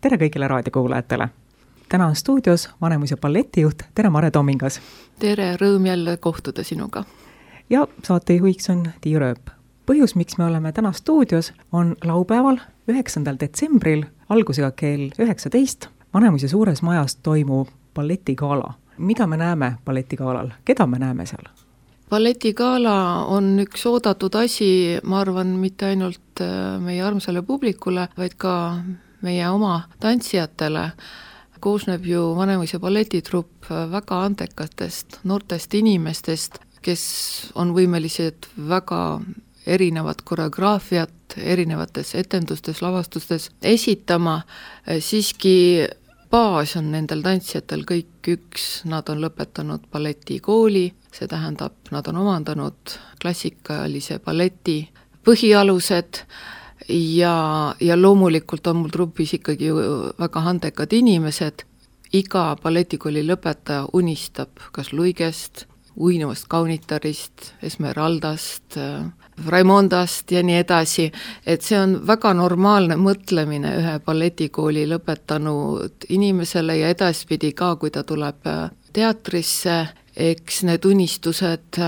tere kõigile raadiokuulajatele! Täna on stuudios Vanemuise balletijuht, tere Mare Tomingas! Tere, rõõm jälle kohtuda sinuga! Ja saatejuhiks on Tiia Rööp. Põhjus, miks me oleme täna stuudios, on laupäeval 9. detsembril algusega kell 19 Vanemuise suures majas toimub balletigala. Mida me näeme balletigalal? Keda me näeme seal? Balletigala on üks oodatud asi, ma arvan, mitte ainult meie armsale publikule, vaid ka meie oma tantsijatele. Koosneb ju Vanemuise balletitrupp väga andekatest, noortest inimestest, kes on võimelised väga erinevat koreograafiat erinevates etendustes, lavastustes esitama. Siiski baas on nendel tantsijatel kõik üks, nad on lõpetanud balletikooli, see tähendab, nad on omandanud klassikalise balleti põhialused ja loomulikult on mul trupis ikkagi väga andekad inimesed. Iga balletikooli lõpetaja unistab kas Luigest, uinuvast kaunitarist, Esmeraldast, Raimondast ja nii edasi, et see on väga normaalne mõtlemine ühe balletikooli lõpetanud inimesele ja edaspidi ka, kui ta tuleb teatrisse, eks need unistused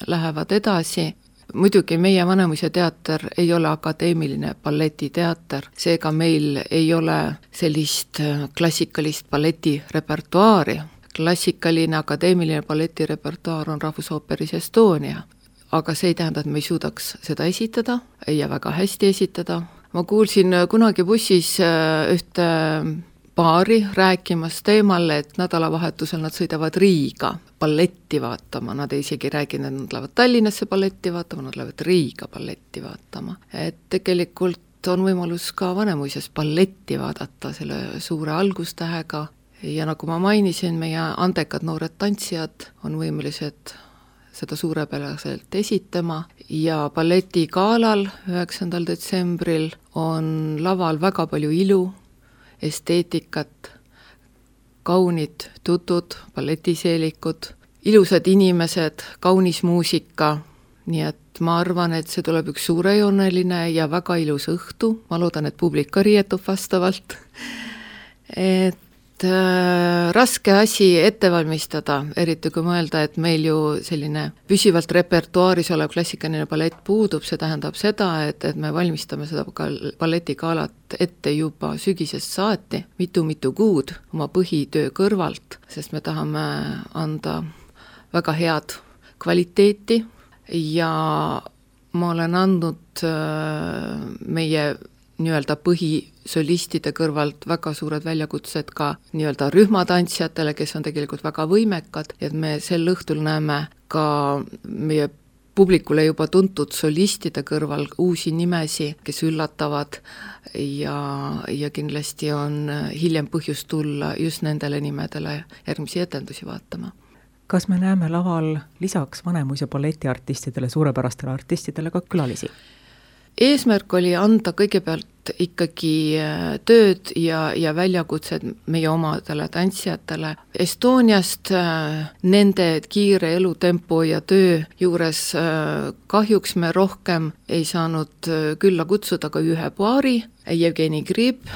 lähevad edasi. Muidugi meie Vanemuise teater ei ole akadeemiline balletiteater, seega meil ei ole sellist klassikalist balletirepertuaari. Klassikaline akadeemiline balletirepertuaar on Rahvusooperis Estonia, aga see ei tähenda, et me ei suudaks seda esitada ja väga hästi esitada. Ma kuulsin kunagi bussis ühte paari rääkimas teemal, et nädalavahetusel nad sõidavad Riiga balletti vaatama. Nad ei isegi rääginud, et nad lähevad Tallinnasse balletti vaatama, nad lähevad Riiga balletti vaatama. Et tegelikult on võimalus ka Vanemuises balletti vaadata selle suure algustähega. Ja nagu ma mainisin, meie andekad noored tantsijad on võimelised seda suurepäraselt esitama ja balletigaalal 9. detsembril on laval väga palju ilu, esteetikat, kaunid tutud, balletiseelikud, ilusad inimesed, kaunis muusika, nii et ma arvan, et see tuleb üks suurejooneline ja väga ilus õhtu, ma loodan, et publik ka riietub vastavalt, et raske asi ette valmistada, eriti kui mõelda, et meil ju selline püsivalt repertuaaris olev klassikaline ballett puudub, see tähendab seda, et me valmistame seda balletigaalat ette juba sügisest saati, mitu kuud oma põhitöö kõrvalt, sest me tahame anda väga head kvaliteeti ja ma olen andnud meie nii-öelda põhisolistide kõrvalt väga suured väljakutsed ka nii-öelda rühmatantsijatele, kes on tegelikult väga võimekad, et me sel õhtul näeme ka meie publikule juba tuntud solistide kõrval uusi nimesi, kes üllatavad ja kindlasti on hiljem põhjust tulla just nendele nimedele järgmisi etendusi vaatama. Kas me näeme laval lisaks Vanemuise balletiartistidele, suurepärastele artistidele ka külalisi? Eesmärk oli anda kõigepealt ikkagi tööd ja väljakutsed meie omadele tantsijatele. Estoniast nende kiire elutempo ja töö juures kahjuks me rohkem ei saanud külla kutsuda ka ühe paari, Jevgeni Grib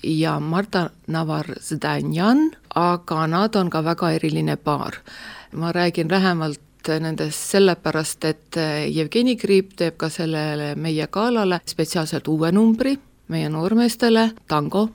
ja Marta Navar-Zdanjan, aga nad on ka väga eriline paar. Ma räägin lähemalt nendest sellepärast, et Jevgeni Grib teeb ka sellele meie galale spetsiaalselt uue numbri meie noormeestele, tango.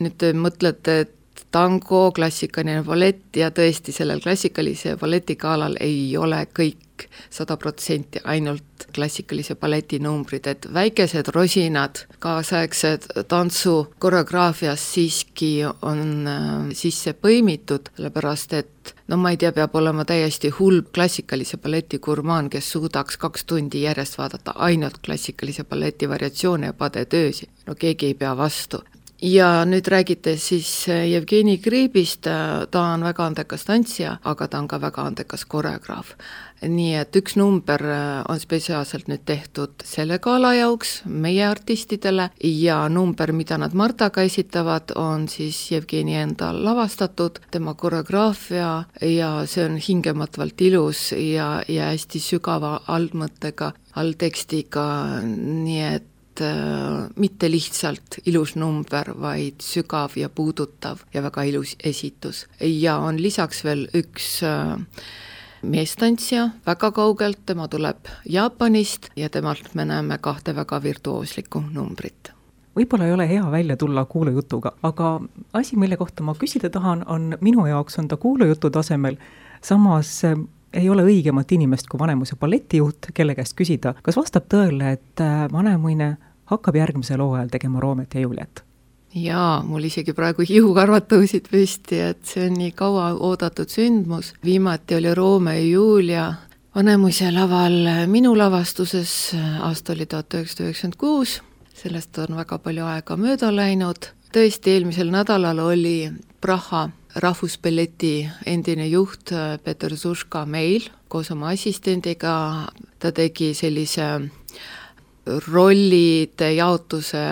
Nüüd te mõtlete, et tango, klassikaline ballett ja tõesti sellel klassikalise balletigaalal ei ole kõik 100% ainult klassikalise balleti numbrid, et väikesed rosinad kaasaegsed tantsu koreograafias siiski on sisse põimitud, sellepärast et ma ei tea, peab olema täiesti hull klassikalise balleti gurmaan, kes suudaks 2 tundi järjest vaadata ainult klassikalise balleti variatsioone ja padetöösi. Keegi ei pea vastu. Ja nüüd räägite siis Jevgeni Gribist, ta on väga andekas tantsija, aga ta on ka väga andekas koreograaf. Nii et üks number on spetsiaalselt nüüd tehtud selle gala jauks meie artistidele ja number, mida nad Martaga esitavad, on siis Jevgeni enda lavastatud, tema koreograafia ja see on hingematvalt ilus ja hästi sügava allmõttega, alltekstiga, nii et mitte lihtsalt ilus number, vaid sügav ja puudutav ja väga ilus esitus. Ja on lisaks veel üks meestantsija väga kaugelt, tema tuleb Jaapanist ja temalt me näeme 2 väga virtuooslikku numbrit. Võib-olla ei ole hea välja tulla kuulujutuga, aga asi, mille kohta ma küsida tahan, on minu jaoks on ta kuulujutu tasemel, samas ei ole õigemat inimest kui Vanemuise balletijuht, kelle käest küsida, kas vastab tõele, et Vanemuine hakkab järgmisel hooajal tegema Roomet ja Juliet? Jaa, mul isegi praegu hiukarvad tõusid püsti, et see on nii kaua oodatud sündmus. Viimati oli Roome ja Julia Vanemuise laval minu lavastuses, aasta oli 1996, sellest on väga palju aega mööda läinud. Tõesti, eelmisel nädalal oli Praha rahvusballeti endine juht Peter Suška meil koos oma assistendiga. Ta tegi sellise rollide jaotuse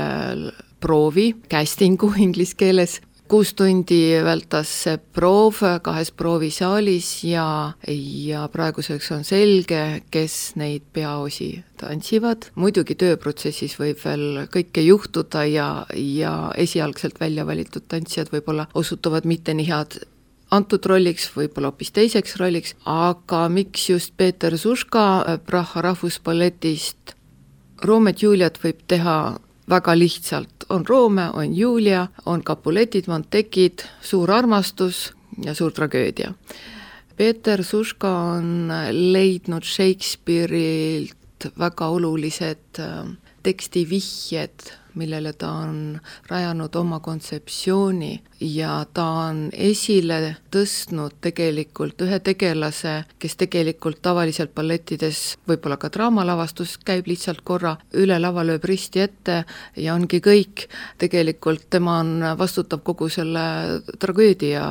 proovi, castingu inglise keeles. 6 tundi vältas see proov 2 proovisaalis ja praeguseks on selge, kes neid peaosi tantsivad. Muidugi tööprotsessis võib veel kõike juhtuda ja esialgselt välja valitud tantsijad võib-olla osutuvad mitte nii head antud rolliks, võib-olla hoopis teiseks rolliks, aga miks just Peter Suška Praha rahvusballetist? Roomet Juliet võib teha väga lihtsalt, on Roome, on Julia, on Capuletid, Montekid, suur armastus ja suur tragöödia. Peter Suška on leidnud Shakespeare'ilt väga olulised tekstivihjed, millele ta on rajanud oma kontseptsiooni ja ta on esile tõstnud tegelikult ühe tegelase, kes tegelikult tavaliselt ballettides, võib-olla ka draamalavastus, käib lihtsalt korra üle lava, lööb risti ette ja ongi kõik. Tegelikult tema on vastutav kogu selle tragöödia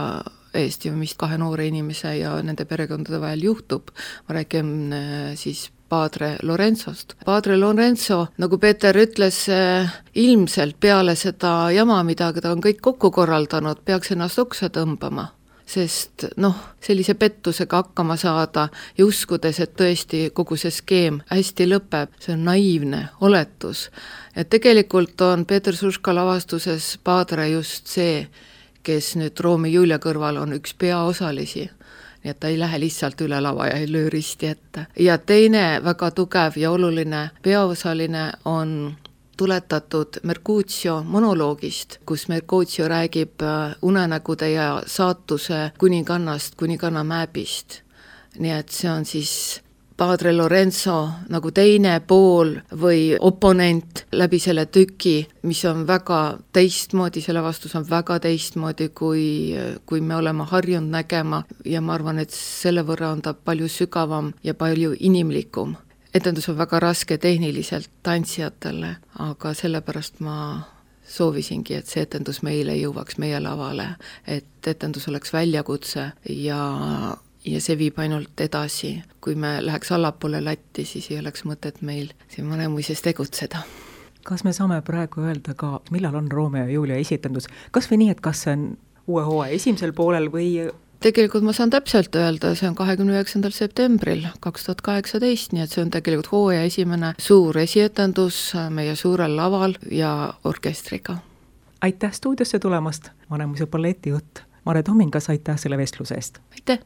eest, mis 2 noore inimese ja nende perekondade vahel juhtub. Ma räägin siis Padre Lorenzost. Padre Lorenzo, nagu Peeter ütles, ilmselt peale seda jama, mida ta on kõik kokku korraldanud, peaks ennast oksa tõmbama. Sest sellise pettusega hakkama saada ja uskudes, et tõesti kogu see skeem hästi lõpeb, see on naiivne oletus. Ja tegelikult on Peter Suška lavastuses Padre just see, kes nüüd Roome Julia kõrval on üks peaosalisi. Nii et ta ei lähe lihtsalt üle lava ja ei löö risti ette. Ja teine väga tugev ja oluline peaosaline on tuletatud Mercutio monoloogist, kus Mercutio räägib unenägude ja saatuse kuningannast, kuninganna määbist. Nii et see on siis Padre Lorenzo nagu teine pool või oponent läbi selle tüki, mis on väga teistmoodi, selle vastus on väga teistmoodi, kui me oleme harjunud nägema ja ma arvan, et selle võrra on ta palju sügavam ja palju inimlikum. Etendus on väga raske tehniliselt tantsijatele, aga sellepärast ma soovisingi, et see etendus meile jõuaks meie lavale, et etendus oleks väljakutse ja see viib ainult edasi. Kui me läheks allapoole latti, siis ei oleks mõtet meil siin Vanemuises tegutseda. Kas me saame praegu öelda ka, millal on Roome ja Julia esitendus? Kas või nii, et kas see on uue hooaja esimesel poolel või? Tegelikult ma saan täpselt öelda, see on 29. septembril 2018, nii et see on tegelikult hooaja esimene suur esietendus meie suurel laval ja orkestriga. Aitäh stuudiosse tulemast, Vanemuise balletijuht Mare Tomingas, aitäh selle vestluse eest! Aitäh!